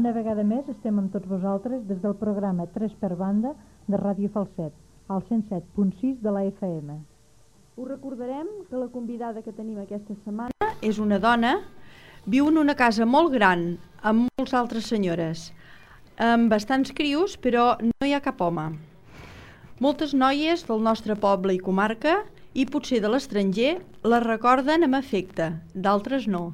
Una vegada més estem amb tots vosaltres des del programa 3 per banda de Ràdio Falset, al 107.6 de la FM. Us recordarem que la convidada que tenim aquesta setmana és una dona, viu en una casa molt gran, amb moltes altres senyores, amb bastants crios, però no hi ha cap home. Moltes noies del nostre poble i comarca, i potser de l'estranger, la recorden amb afecte, d'altres no.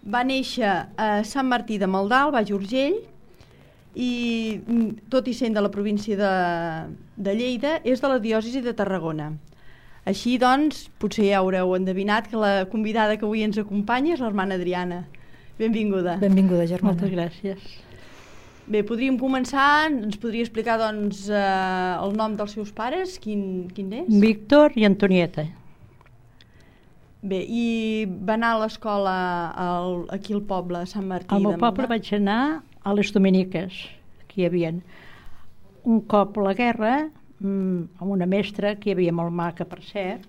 Va néixer a Sant Martí de Maldà, al Baix Urgell, i tot i sent de la província de Lleida, és de la diòcesi de Tarragona. Així doncs, potser ja haureu endevinat que la convidada que avui ens acompanya és l'hermana Adriana. Benvinguda. Benvinguda, germana. Moltes gràcies. Bé, podríem començar, ens podria explicar doncs el nom dels seus pares, quin és? Víctor i Antonieta. Bé, i va anar a l'escola aquí al poble, a Sant Martí de Maldà? Al meu poble vaig anar a les Dominiques, que hi havia. Un cop la guerra, amb una mestra, que hi havia molt maca, per cert,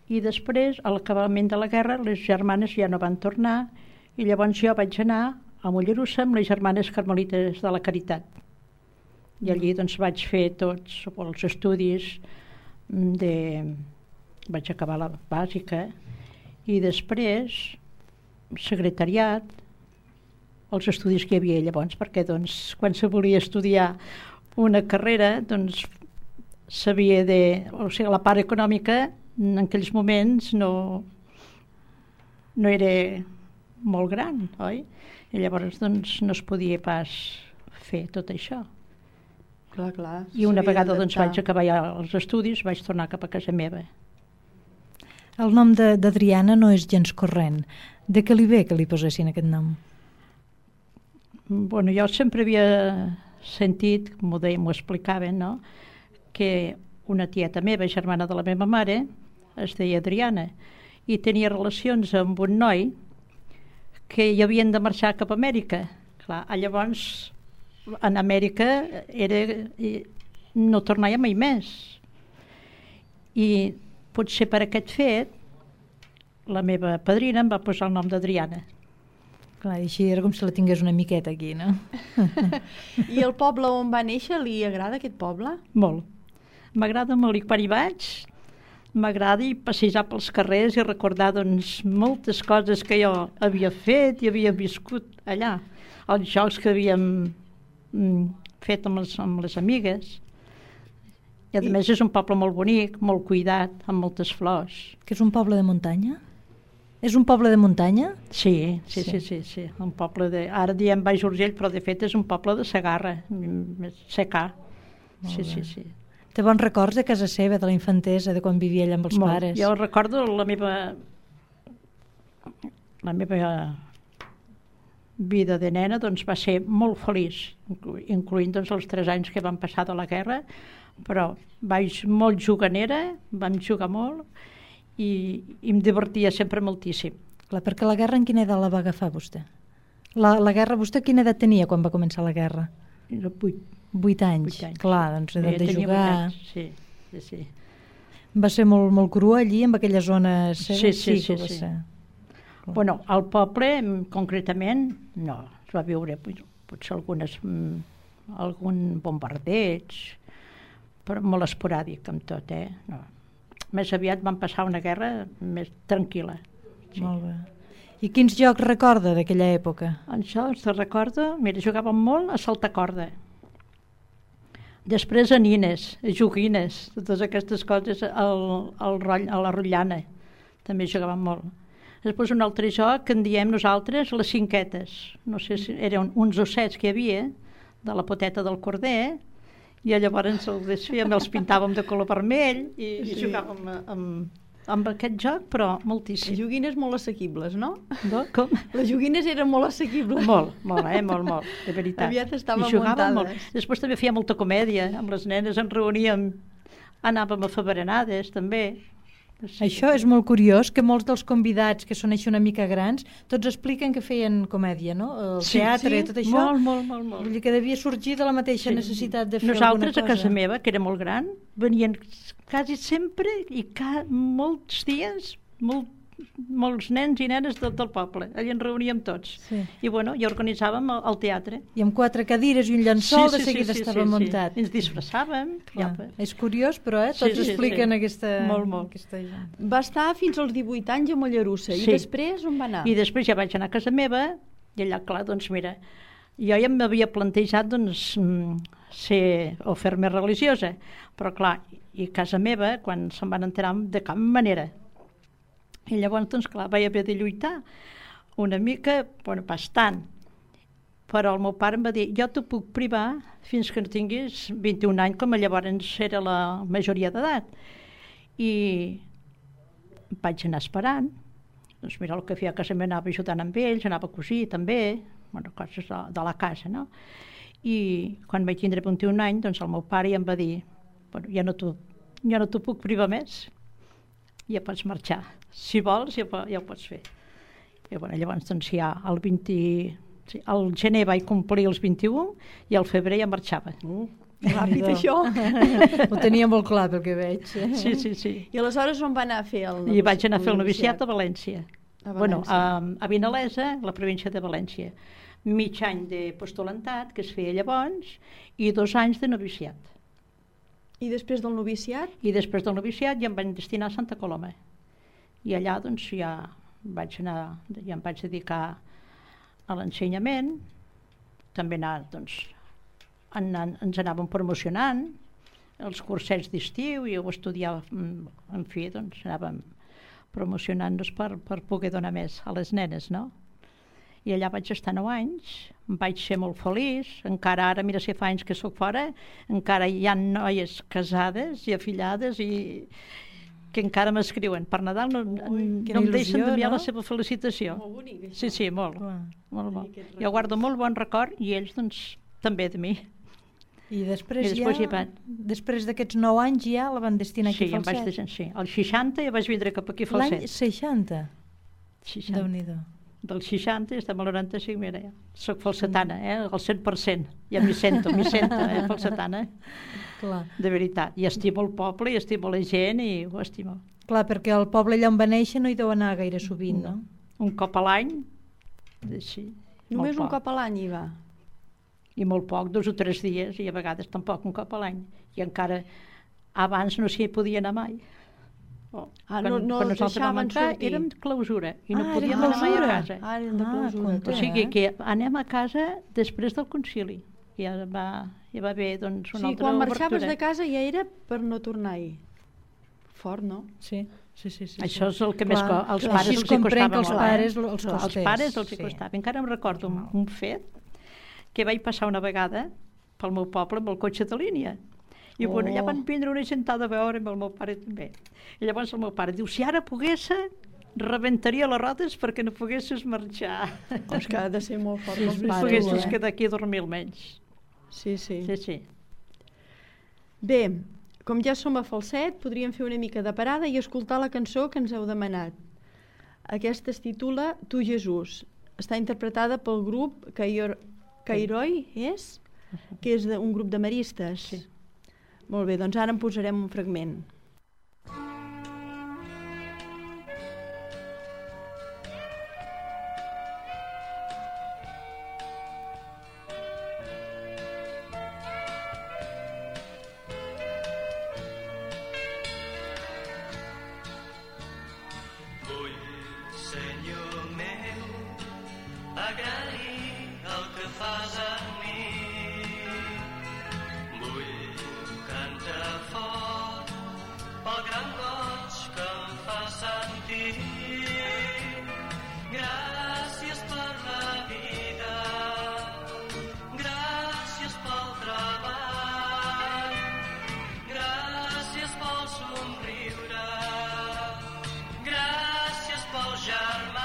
i després, a l'acabament de la guerra, les germanes ja no van tornar, i llavors jo vaig anar a Mollerussa amb les germanes carmelites de la Caritat. I allí doncs vaig fer tots els estudis vaig acabar la bàsica i després secretariat, els estudis que hi havia llavors, perquè doncs quan se volia estudiar una carrera doncs s'havia o sigui, la part econòmica en aquells moments no era molt gran, oi? I llavors doncs no es podia pas fer tot això. Clar. I una vegada doncs vaig acabar ja els estudis, vaig tornar cap a casa meva. El nom d'Adriana no és gens corrent. De què li ve que li posessin aquest nom? Bueno, jo sempre havia sentit, m'ho explicaven, no?, que una tieta meva, germana de la meva mare, es deia Adriana, i tenia relacions amb un noi que hi havien de marxar cap a Amèrica. Clar, llavors, en Amèrica no tornava mai més. I potser per aquest fet, la meva padrina em va posar el nom d'Adriana. Clar, i així era com si la tingués una miqueta aquí, no? I el poble on va néixer, li agrada aquest poble? Molt. M'agrada molt, i quan hi vaig, m'agrada passejar pels carrers i recordar doncs, moltes coses que jo havia fet i havia viscut allà. Els jocs que havíem fet amb les amigues. I a més és un poble molt bonic, molt cuidat, amb moltes flors. Que és un poble de muntanya? És un poble de muntanya? Sí. Un poble ara diem Baix Urgell, però de fet és un poble de Segarra, secà. Sí. Té bons records de casa seva, de la infantesa, de quan vivia allà amb els pares? Jo recordo la meva vida de nena doncs, va ser molt feliç, incloent doncs, els 3 anys que van passar de la guerra, però vaig molt juganera, vam jugar molt i em divertia sempre moltíssim. Clar, perquè la guerra en quina edat la va agafar vostè? La guerra, vostè quina edat tenia quan va començar la guerra? 8 anys. Clar, doncs edat de jugar. Sí. Va ser molt crua allí, amb aquella zona? Sí. Bueno, al poble, concretament, no. Es va viure potser algun bombardeig, però molt esporàdic amb tot, No. Més aviat van passar una guerra més tranquil·la. Sí. Molt bé. I quins jocs recorda d'aquella època? Això recordo, mira, jugàvem molt a saltar corda. Després a nines, a joguines, totes aquestes coses, a la rotllana, també jugàvem molt. Després un altre joc que en diem nosaltres les cinquetes. No sé si eren uns ossets que hi havia, de la poteta del corder, i llavors els desfèiem, els pintàvem de color vermell i jugàvem amb aquest joc, però moltíssim. Les joguines molt assequibles, no? Com? Les joguines eren molt assequibles. Molt, de veritat. Aviat estaven muntades. Molt. Després també feia molta comèdia, amb les nenes ens reuníem, anàvem a fer berenades, també. Sí. Això és molt curiós, que molts dels convidats que són així una mica grans, tots expliquen que feien comèdia, no? El teatre, tot això. Molt. Vull dir que devia sorgir de la mateixa necessitat de fer alguna cosa. Nosaltres, a casa meva, que era molt gran, venien quasi sempre i molts dies, molts nens i nenes del poble. Allà ens reuníem tots. Sí. I ja organitzàvem el teatre. I amb 4 cadires i un llençol de seguida estava muntat. Ens disfressàvem. És curiós, però tots expliquen aquesta... Molt. Aquesta gent. Va estar fins als 18 anys a Mollerussa. I després on va anar? I després ja vaig anar a casa meva i allà, clar, doncs mira, jo ja m'havia plantejat ser o fer-me religiosa, però clar, i casa meva, quan se'n van enterar, de cap manera. I llavors, doncs clar, vaig haver de lluitar una mica, bastant. Però el meu pare em va dir, jo t'ho puc privar fins que no tinguis 21 anys, com llavors era la majoria d'edat. I vaig anar esperant. Doncs mira, el que feia a casa meva anava ajudant amb ells, anava a cosir també, coses de la casa, no? I quan vaig tindre 21 anys, doncs el meu pare ja em va dir, ja no t'ho puc privar més, ja pots marxar. Si vols, ja ho pots fer. I llavors, doncs ja al gener vaig complir els 21 i al febrer ja marxava. Ràpid, això. Ho tenia molt clar, pel que veig. Sí. I aleshores on va anar a fer el noviciat? I vaig anar a fer el noviciat a València. A Vinalesa, la província de València. Mig any de postulantat, que es feia llavors, i 2 anys de noviciat. I després del noviciat? I després del noviciat ja em vaig destinar a Santa Coloma. I allà doncs ja em vaig dedicar a l'ensenyament, també ens anàvem promocionant, els cursets d'estiu, i ho estudiava, en fi, doncs anàvem promocionant-nos per poder donar més a les nenes, no? I allà vaig estar 9 anys, vaig ser molt feliç, encara ara, mira si fa anys que sóc fora, encara hi ha noies casades i afillades i que encara m'escriuen. Per Nadal no em deixen d'enviar la seva felicitació. Molt bonic, Sí, això. sí, molt bo. Jo guardo molt bon record i ells, doncs, també de mi. I després d'aquests 9 anys ja la van destinar aquí a Falset? Sí, al 60 ja vaig vindre cap aquí a Falset. L'any 60? Déu-n'hi-do. Del 60 estem al 95, mira, ja. Soc falsetana, al 100%. Ja m'hi sento, falsetana. Clar. De veritat. I estimo el poble, i estimo la gent, i ho estimo. Clar, perquè el poble allà on va néixer no hi deu anar gaire sovint, no? Un cop a l'any, sí. Només un cop a l'any hi va? I molt poc, 2 o 3 dies, i a vegades tampoc un cop a l'any. I encara abans no s'hi podia anar mai. No els deixaven sortir? Érem de clausura i no podíem anar mai a casa. Eren de clausura. O sigui que anem a casa després del concili. Ja va haver doncs, una altra obertura. Quan marxaves de casa ja era per no tornar-hi. Fort, no? Sí. Això és el que més als pares els hi costava molt. Als pares els hi costava. Encara em recordo un fet que vaig passar una vegada pel meu poble amb el cotxe de línia. I allà van vindre una gentada a veure amb el meu pare també. I llavors el meu pare diu, si ara pogués, rebentaria les rodes perquè no poguessis marxar. És que ha de ser molt fort els pares. No poguessis quedar aquí a dormir almenys. Sí. Sí. Bé, com ja som a Falset, podríem fer una mica de parada i escoltar la cançó que ens heu demanat. Aquesta es titula Tu Jesús. Està interpretada pel grup Cairoi, que és un grup de maristes. Sí. Molt bé, doncs ara en posarem un fragment. Vull, Senyor meu, agrair el que fas a mi. Canta fort pel gran goig que em fa sentir. Gràcies per la vida, gràcies pel treball, gràcies pel somriure, gràcies pels germans.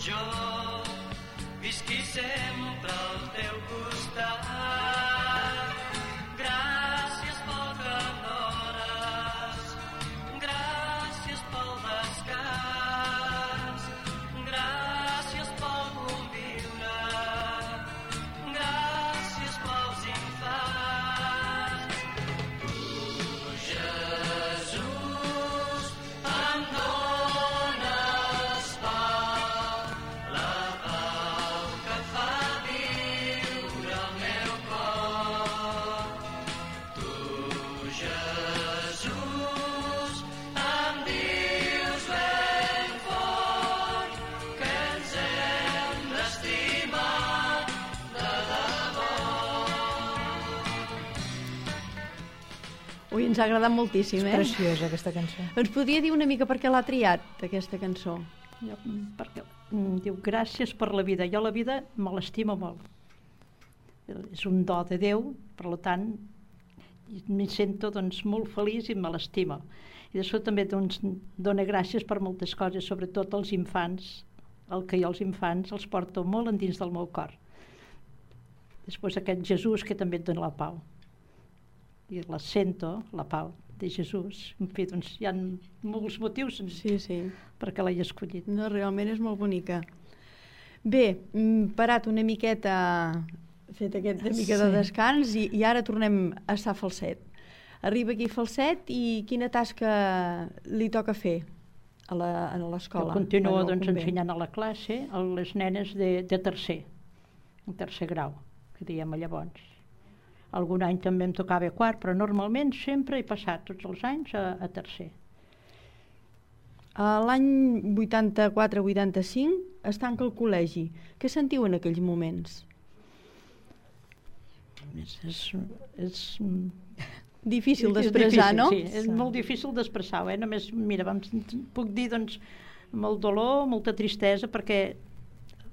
jo visqui sempre al teu costat. Gràcies pel que m'honores, gràcies pel descans, gràcies pel conviure, gràcies pels infants. Tu, Jesús, em dones pau, la pau que fa viure el meu cor. Tu, Jesús, em dius ben fort que ens hem d'estimar de debò. Ui, ens ha agradat moltíssim, És preciosa aquesta cançó. Ens podria dir una mica per què l'ha triat, aquesta cançó? Jo, perquè diu, gràcies per la vida. Jo la vida me l'estimo molt. És un do de Déu, per tant, m'hi sento doncs, molt feliç i me l'estimo. I després també doncs, dona gràcies per moltes coses, sobretot als infants, el que jo als infants els porto molt endins del meu cor. Després aquest Jesús que també et dona la pau. I la sento, la pau de Jesús. En fi, doncs hi ha molts motius Sí, sí. perquè l'he escollit. No, realment és molt bonica. Bé, parat una miqueta, fet aquesta mica de Sí. descans i ara tornem a estar falset. Arriba aquí falset i quina tasca li toca fer a l'escola? Jo continuo Bueno, al doncs, convent. ensenyant a la classe a les nenes de tercer grau, que diem llavors. Algun any també em tocava quart, però normalment sempre he passat tots els anys a tercer. A l'any 84-85 es tanca el col·legi. Què sentiu en aquells moments? És Difícil d'expressar, difícil, no? Sí, és molt difícil d'expressar-ho. Només, mira, puc dir doncs, molt dolor, molta tristesa, perquè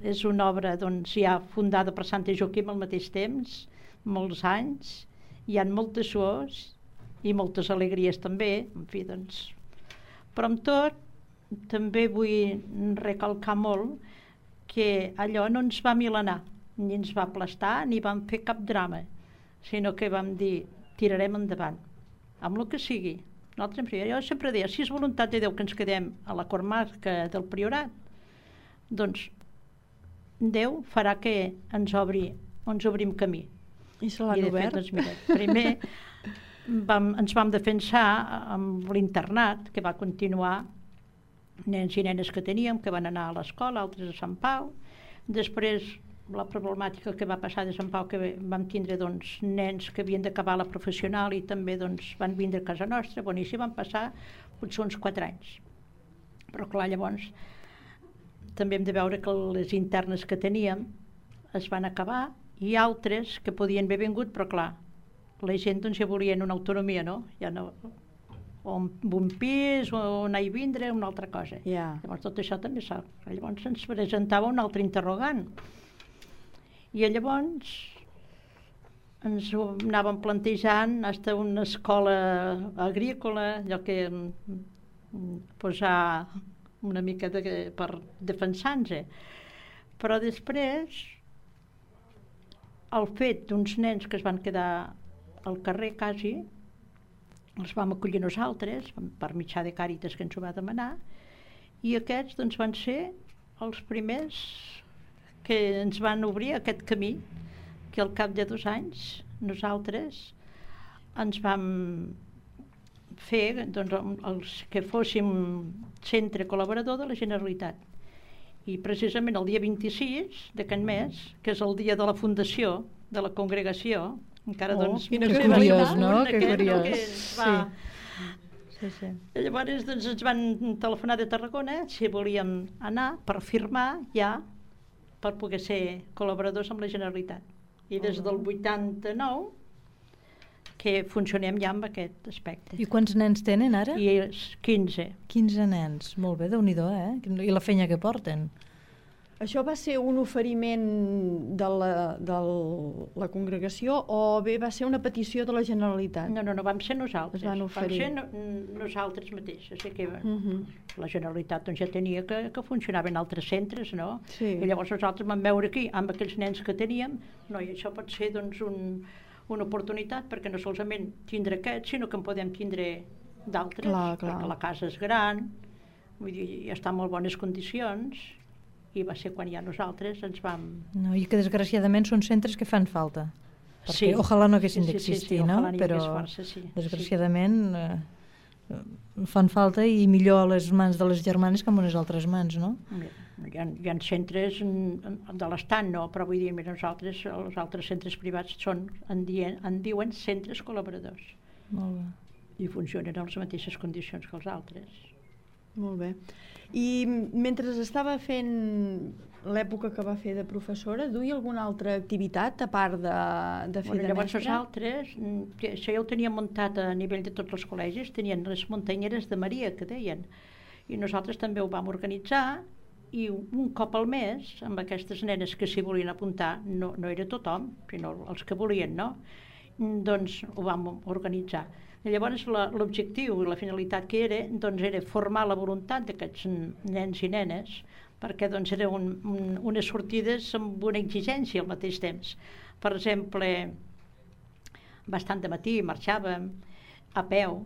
és una obra doncs, ja fundada per Sant Joaquim al mateix temps, molts anys, hi ha moltes suors i moltes alegries també, en fi, doncs. Però amb tot, també vull recalcar molt que allò no ens va milenar, ni ens va aplastar, ni vam fer cap drama, sinó que vam dir, tirarem endavant, amb el que sigui. Jo sempre deia, si és voluntat de Déu que ens quedem a la comarca del Priorat, doncs Déu farà que ens obrim camí. I se l'han I de obert? fet, doncs, mira, primer ens vam defensar amb l'internat, que va continuar, nens i nenes que teníem, que van anar a l'escola, altres a Sant Pau. Després, la problemàtica que va passar de Sant Pau, que vam tindre doncs, nens que havien d'acabar la professional i també doncs, van vindre a casa nostra. Bueno, i així van passar potser uns 4 anys. Però clar, llavors també hem de veure que les internes que teníem es van acabar i altres que podien haver vingut, però clar, la gent doncs, ja volien una autonomia, no? Ja no, o un pis, o anar i vindre, una altra cosa. Ja. Llavors tot això també sap. Llavors ens presentava un altre interrogant. I llavors ens ho anàvem plantejant fins a una escola agrícola, allò que posar una mica per defensar-nos. Però després el fet d'uns nens que es van quedar al carrer quasi, els vam acollir nosaltres, per mitjà de Càritas que ens ho va demanar, i aquests doncs, van ser els primers que ens van obrir aquest camí, que al cap de 2 anys nosaltres ens vam fer doncs, els que fóssim centre col·laborador de la Generalitat. I precisament el dia 26 d'aquest mes, que és el dia de la fundació de la congregació, encara doncs... Que curiós, no? Que curiós. Sí. Llavors doncs, ens van telefonar de Tarragona si volíem anar per firmar ja per poder ser col·laboradors amb la Generalitat. I des del 89 que funcionem ja amb aquest aspecte. I quants nens tenen ara? I 15. 15 nens. Molt bé, Déu-n'hi-do, eh? I la feina que porten. Això va ser un oferiment de la congregació o bé va ser una petició de la Generalitat? No, vam ser nosaltres. Es van oferir. Vam ser nosaltres mateixos. Que la Generalitat doncs, ja tenia que funcionava en altres centres, no? Sí. I llavors nosaltres vam veure aquí, amb aquells nens que teníem, no, i això pot ser doncs, una oportunitat, perquè no solament tindre aquests, sinó que en podem tindre d'altres, perquè la casa és gran, vull dir, ja està en molt bones condicions, i va ser quan ja nosaltres ens vam... No, i que desgraciadament són centres que fan falta. Perquè Sí. ojalà no haguessin d'existir, sí, no? ojalà n'hi Però hagués força, sí. desgraciadament fan falta i millor a les mans de les germanes que en unes altres mans, no? Hi ha centres de l'estat, no, però vull dir, mira, nosaltres, els altres centres privats en diuen centres col·laboradors. Molt bé. I funcionen en les mateixes condicions que els altres. Molt bé. I mentre estava fent l'època que va fer de professora, duia alguna altra activitat a part de fer de Llavors mestra? nosaltres, això ja ho teníem muntat a nivell de tots els col·legis, tenien les muntanyeres de Maria, que deien, i nosaltres també ho vam organitzar, i un cop al mes, amb aquestes nenes que s'hi volien apuntar, no era tothom, sinó els que volien, no? Doncs ho vam organitzar. I llavors l'objectiu i la finalitat que era, doncs era formar la voluntat d'aquests nens i nenes, perquè doncs eren unes sortides amb una exigència al mateix temps. Per exemple, bastant de matí marxàvem a peu,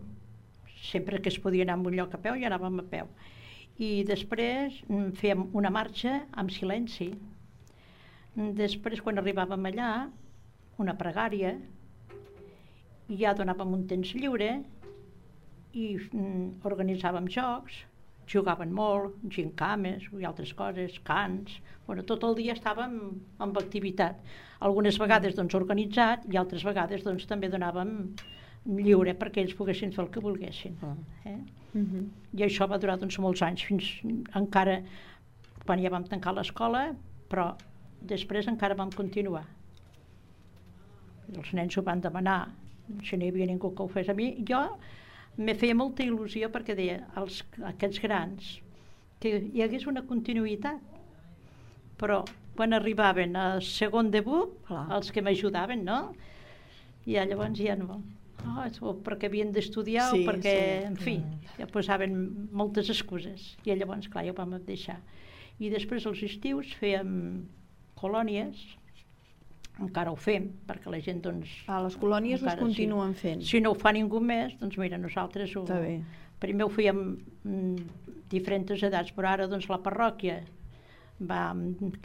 sempre que es podia anar a un lloc a peu ja anàvem a peu. I després fèiem una marxa amb silenci. Després, quan arribàvem allà, una pregària, i ja donàvem un temps lliure i organitzàvem jocs, jugaven molt, gincames i altres coses, cants, bueno, tot el dia estàvem amb activitat. Algunes vegades doncs organitzat i altres vegades doncs també donàvem lliure perquè ells poguessin fer el que volguessin. I això va durar doncs molts anys, fins encara quan ja vam tancar l'escola, però després encara vam continuar. Els nens ho van demanar, si no hi havia ningú que ho fes a mi. Jo me feia molta il·lusió perquè deia aquests grans que hi hagués una continuïtat, però quan arribaven a segon debut, els que m'ajudaven, no? I llavors ja no, o perquè havien d'estudiar o perquè, en fi, ja posaven moltes excuses i llavors, clar, ja ho vam deixar. I després als estius fèiem colònies, encara ho fem, perquè la gent doncs... Les colònies us continuen fent. Si no ho fa ningú més, doncs mira, nosaltres ho... Està bé. Primer ho fèiem diferents edats, però ara doncs la parròquia va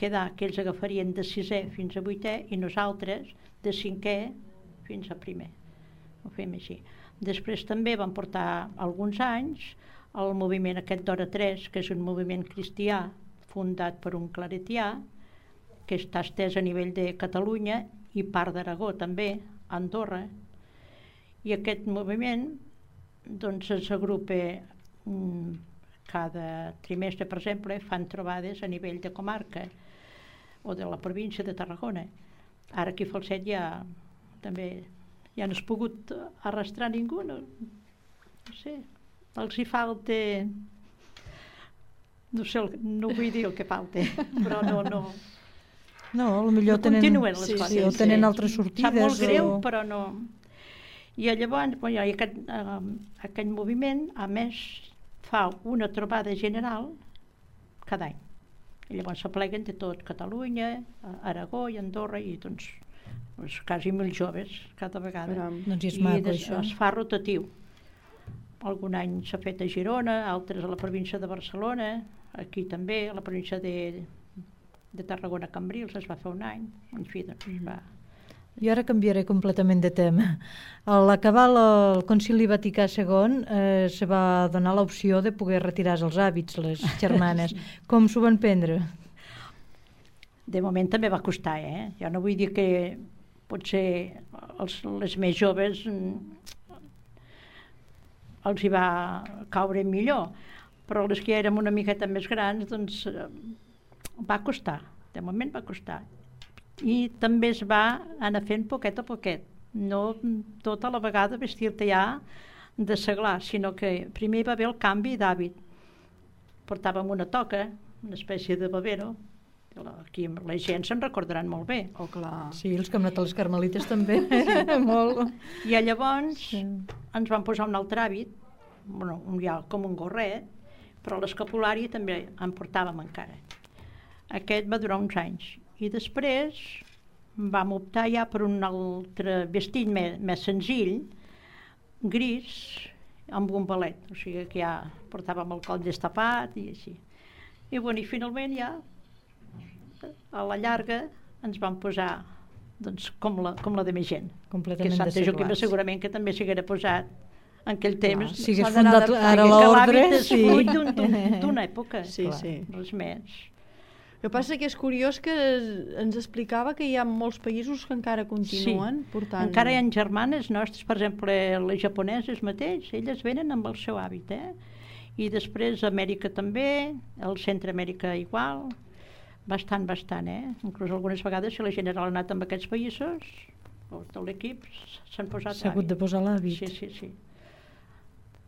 quedar que ells agafarien de 6è fins a 8è i nosaltres de 5è fins a 1è. Ho fem així. Després també vam portar alguns anys el moviment aquest d'Hora 3, que és un moviment cristià fundat per un claretià, que està estès a nivell de Catalunya i part d'Aragó també, a Andorra. I aquest moviment doncs es agrupa cada trimestre, per exemple, fan trobades a nivell de comarca o de la província de Tarragona. Ara aquí a Falset ja també ja no has pogut arrastrar ningú, no sé, els hi falta, no sé, no vull dir el que falta, però no. No, potser tenen... Continuen les coses. Sí, o tenen altres sortides. Sap molt greu, però no... I llavors, aquest moviment, a més, fa una trobada general cada any. I llavors s'apleguen de tot Catalunya, Aragó i Andorra, i doncs quasi 1.000 joves cada vegada. Doncs és maco, això. Es fa rotatiu. Algun any s'ha fet a Girona, altres a la província de Barcelona, aquí també, a la província de Tarragona, Cambrils, es va fer un any, en fi, doncs es va... Jo ara canviaré completament de tema. A l'acabar el Concili Vaticà II se va donar l'opció de poder retirar els hàbits, les germanes. Com s'ho van prendre? De moment també va costar, Jo no vull dir que potser les més joves els hi va caure millor, però les que ja érem una miqueta més grans, doncs va costar, de moment va costar. I també es va anar fent poquet a poquet, no tota la vegada vestir-te ja de seglar, sinó que primer hi va haver el canvi d'hàbit. Portàvem una toca, una espècie de babero, Aquí la gent se'n recordaran molt bé. Oh, clar. Sí, els que hem anat a les Carmelites també, molt. I llavors ens van posar un altre hàbit, bueno, ja com un gorret, però l'escapulari també en portàvem encara. Aquest va durar uns anys. I després vam optar ja per un altre vestit més senzill, gris, amb un balet. O sigui que ja portàvem el coll destapat i així. I, bueno, i finalment ja, a la llarga, ens van posar doncs, com la de més gent. Completament que Santa Joaquima desseglats. segurament que també s'haguera posat en aquell temps. Si hagués S'ha d'anar fundat adaptant. ara Que l'ordre, l'hàbit és sí. fruit d'una època. Sí, clar, sí. Res més. El que passa que és curiós que ens explicava que hi ha molts països que encara continuen portant... Encara hi ha germanes nostres, per exemple, les japoneses mateix, elles venen amb el seu hàbit, I després Amèrica també, el Centre-Amèrica igual, bastant, Inclús algunes vegades, si la gent ha anat amb aquests països, tot l'equip s'han posat S'ha hagut de posar l'hàbit. Sí.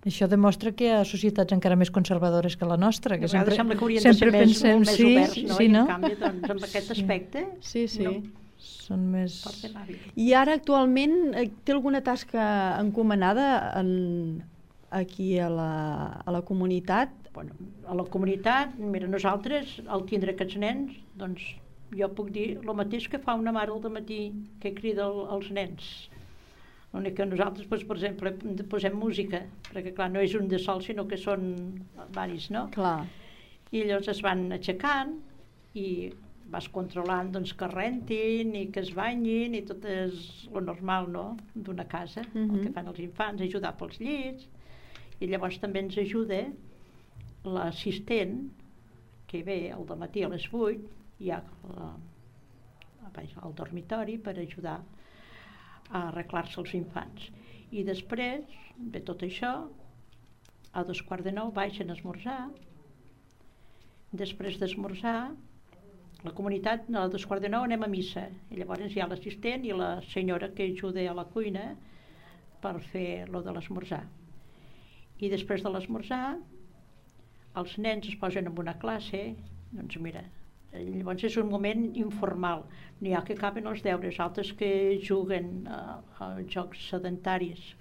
Això demostra que hi ha societats encara més conservadores que la nostra, que A vegades sempre, sembla que haurien de ser sempre pensem, molt més sí, oberts, no? sí, I no? en canvi, doncs, amb aquest aspecte, Sí, sí. no, Són més... porten l'hàbit. I ara actualment té alguna tasca encomanada aquí a la comunitat? Bueno, a la comunitat, mira, nosaltres, al tindre aquests nens, doncs jo puc dir el mateix que fa una mare al dematí que crida els nens. L'únic que nosaltres, doncs, per exemple, posem música, perquè clar, no és un de sol, sinó que són varis, no? Clar. I llavors es van aixecant i vas controlant doncs, que rentin i que es banyin i tot és lo normal, no?, d'una casa, el que fan els infants, ajudar pels llits. I llavors també ens ajuda l'assistent que ve al dematí a les 8, hi ha al dormitori per ajudar a arreglar-se els infants. I després de tot això, a 8:45 baixen a esmorzar. Després d'esmorzar, la comunitat, a 8:45 anem a missa. I llavors hi ha l'assistent i la senyora que ajuda a la cuina per fer lo de l'esmorzar. I després de l'esmorzar, els nens es posen en una classe, doncs mira, llavors és un moment informal. N'hi ha que acaben els deures, altres que juguen a jocs sedentaris,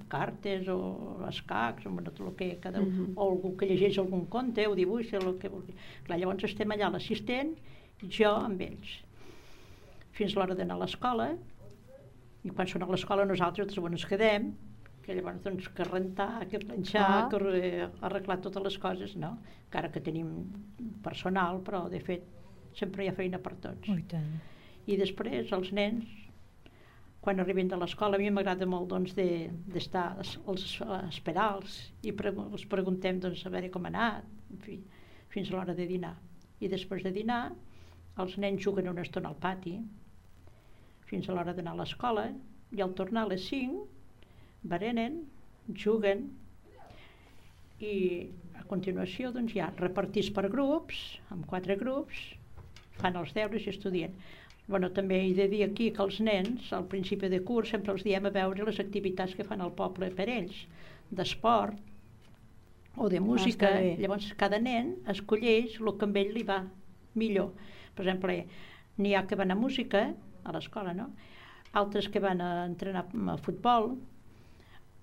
cartes o escacs, o tot el que cada un, o algú que llegeix algun conte o dibuixa, el que vulgui. Clar, llavors estem allà l'assistent, jo amb ells. Fins l'hora d'anar a l'escola, i quan són a l'escola nosaltres doncs, ens quedem, que llavors doncs, que rentar, que planxar, que arreglar totes les coses, no? Encara que tenim personal, però de fet sempre hi ha feina per tots. Oh, i tant. I després els nens, quan arriben de l'escola, a mi m'agrada molt doncs, d'estar esperar-los i els preguntem doncs, a veure com ha anat, en fi, fins a l'hora de dinar. I després de dinar, els nens juguen una estona al pati, fins a l'hora d'anar a l'escola, i al tornar a les 5, berenen, juguen, i a continuació doncs, ja repartits per grups, amb 4 grups, fan els deures i estudien. Bueno, també he de dir aquí que els nens, al principi de curs, sempre els diem a veure les activitats que fan al poble per ells, d'esport o de música. Llavors, cada nen escolleix el que amb ell li va millor. Per exemple, n'hi ha que van a música, a l'escola, no? Altres que van a entrenar a futbol,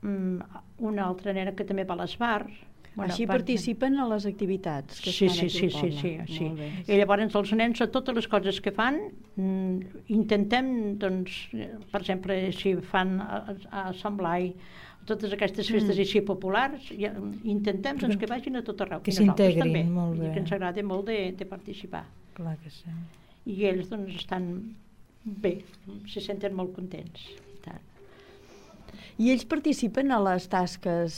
una altra nena que també va a l'esbar. Bueno, així participen a les activitats que es fan aquí al poble. Sí. I llavors els nens, a totes les coses que fan, intentem, doncs, per exemple, si fan a Sant Blai, totes aquestes festes així populars, intentem doncs, que vagin a tot arreu. Que s'integrin, molt bé. I que ens agrada molt de participar. Clar que sí. I ells doncs, estan bé, se senten molt contents. I ells participen a les tasques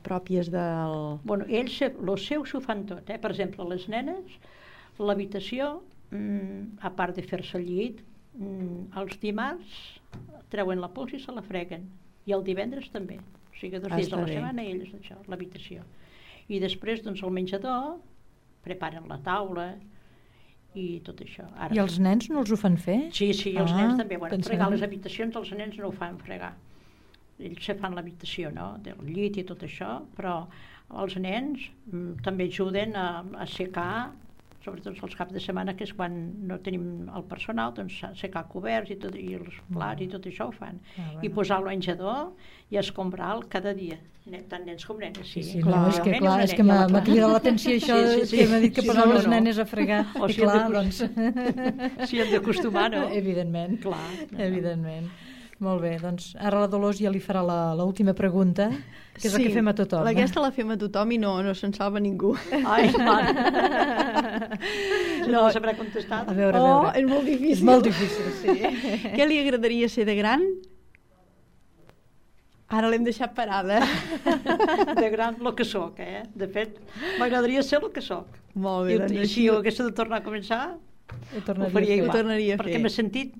pròpies del... Bueno, ells, el seu s'ho fan tot, Per exemple, les nenes, l'habitació, a part de fer-se el llit, els dimarts treuen la pols i se la freguen. I el divendres també. O sigui, 2 dies a la setmana ells, això, l'habitació. I després, doncs, al menjador, preparen la taula i tot això. Ara, I els nens no els ho fan fer? Sí, els nens també. Bueno, fregar les habitacions, els nens no ho fan fregar. Ells se fan l'habitació, no?, del llit i tot això, però els nens també ajuden a assecar sobretot els caps de setmana, que és quan no tenim el personal, doncs secar coberts i, tot, i els plats i tot això ho fan. I posar el menjador i escombrar-lo cada dia, tant nens com nenes. Sí, clar, és que m'ha cridat l'atenció això que m'ha dit que posar les nenes a fregar. O si clar, doncs... S'hi hem d'acostumar, no? Evidentment. Clar. Evidentment. Molt bé, doncs ara la Dolors ja li farà l'última pregunta, que és la que fem a tothom. Aquesta la fem a tothom i no se'n salva ningú. Ai, mare. No sabrà contestar. A veure. És molt difícil. És molt difícil, sí. Què li agradaria ser de gran? Ara l'hem deixat parada. De gran, el que soc, De fet, m'agradaria ser el que soc. Molt bé, I si jo hagués de tornar a començar, ho faria igual. Perquè m'he sentit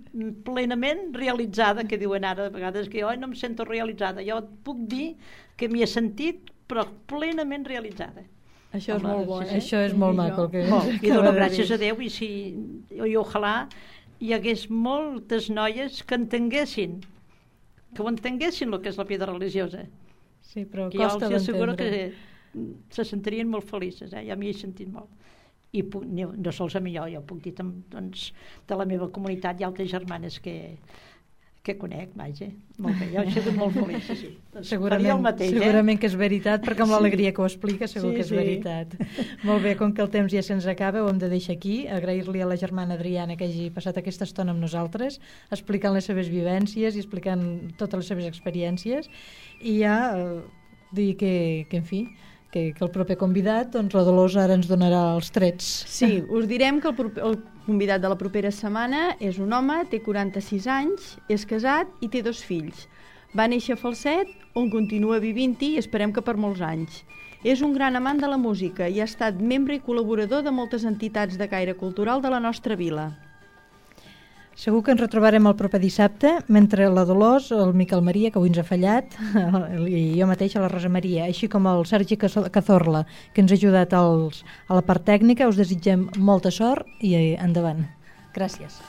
plenament realitzada, que diuen ara de vegades que jo no em sento realitzada. Jo et puc dir que m'hi he sentit, però plenament realitzada. Això és molt bo, Això és molt maco. I dono gràcies a Déu, i ojalà hi hagués moltes noies que entenguessin el que és la vida religiosa. Sí, però que costa d'entendre. Jo els asseguro que se sentirien molt felices, ja m'hi he sentit molt. I no sols a mi, jo puc dir doncs, de la meva comunitat hi ha altres germanes que conec, vaja, molt bé, jo he sigut molt feliç, sí. Doncs segurament que és veritat, perquè amb l'alegria que ho explica segur que és veritat. Molt bé, com que el temps ja se'ns acaba, ho hem de deixar aquí, agrair-li a la germana Adriana que hagi passat aquesta estona amb nosaltres, explicant les seves vivències i explicant totes les seves experiències, i ja dir que en fi, que el proper convidat, doncs la Dolors ara ens donarà els trets. Sí, us direm que el convidat de la propera setmana és un home, té 46 anys, és casat i té 2 fills. Va néixer a Falset, on continua vivint-hi i esperem que per molts anys. És un gran amant de la música i ha estat membre i col·laborador de moltes entitats de caire cultural de la nostra vila. Segur que ens retrobarem el proper dissabte, mentre la Dolors, el Miquel Maria, que avui ens ha fallat, i jo mateixa, la Rosa Maria, així com el Sergi Cazorla, que ens ha ajudat a la part tècnica, us desitgem molta sort i endavant. Gràcies.